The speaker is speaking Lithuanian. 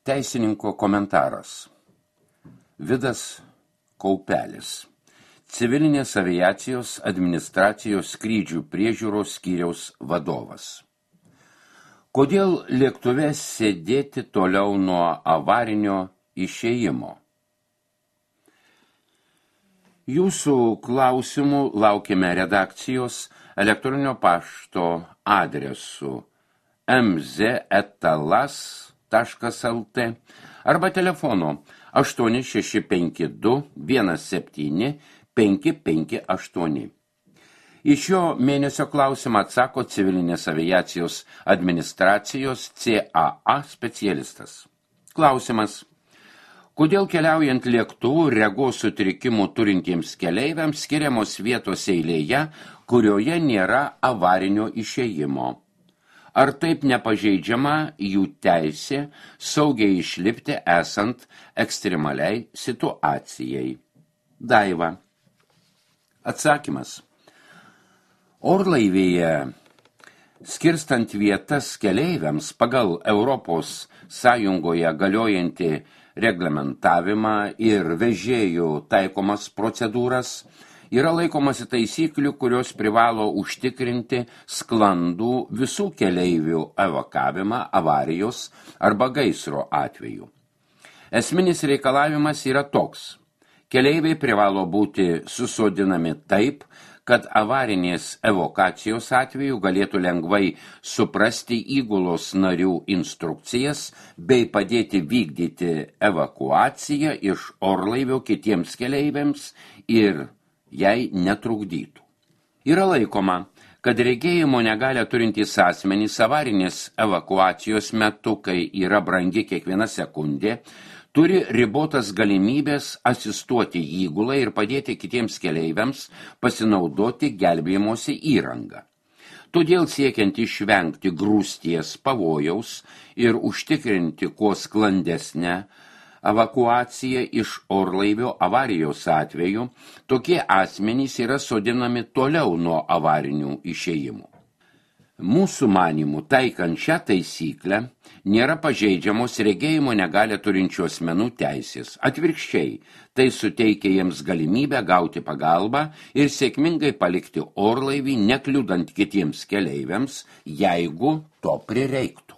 Teisininko komentaras. Vidas Kaupelis. Civilinės aviacijos administracijos skrydžių priežiūros skyriaus vadovas. Kodėl lėktuve sėdėti toliau nuo avarinio išėjimo? Jūsų klausimų laukiame redakcijos elektroninio pašto adresu mz@las.lt arba telefonu 8652 17 558. Į šio mėnesio klausimą atsako civilinės aviacijos administracijos CAA specialistas. Klausimas. Kodėl keliaujant lėktuvu regos sutrikimų turintiems keleiviams skiriamos vietos eilėje, kurioje nėra avarinio išėjimo? Ar taip nepažeidžiama jų teisė saugiai išlipti esant ekstremaliai situacijai? Daiva. Atsakymas. Orlaivyje, skirstant vietas keleiviams pagal Europos Sąjungoje galiojantį reglamentavimą ir vežėjų taikomas procedūras, yra laikomasi taisyklių, kurios privalo užtikrinti sklandų visų keleivių evakavimą avarijos arba gaisro atveju. Esminis reikalavimas yra toks. Keleiviai privalo būti susodinami taip, kad avarinės evakuacijos atveju galėtų lengvai suprasti įgulos narių instrukcijas bei padėti vykdyti evakuaciją iš orlaivio kitiems keleiviams ir jai netrukdytų. Yra laikoma, kad regėjimo negalią turintys asmenys avarinės evakuacijos metu, kai yra brangi kiekviena sekundė, turi ribotas galimybės asistuoti įgulai ir padėti kitiems keleiviams pasinaudoti gelbėjimosi įrangą. Todėl siekiant išvengti grūsties pavojaus ir užtikrinti kuo sklandesnę evakuaciją iš orlaivio avarijos atveju, tokie asmenys yra sodinami toliau nuo avarinių išėjimų. Mūsų manymų, taikant šią taisyklę, nėra pažeidžiamos regėjimo negalią turinčių asmenų teisės. Atvirkščiai, tai suteikia jiems galimybę gauti pagalbą ir sėkmingai palikti orlaivį, nekliudant kitiems keleiviams, jeigu to prireiktų.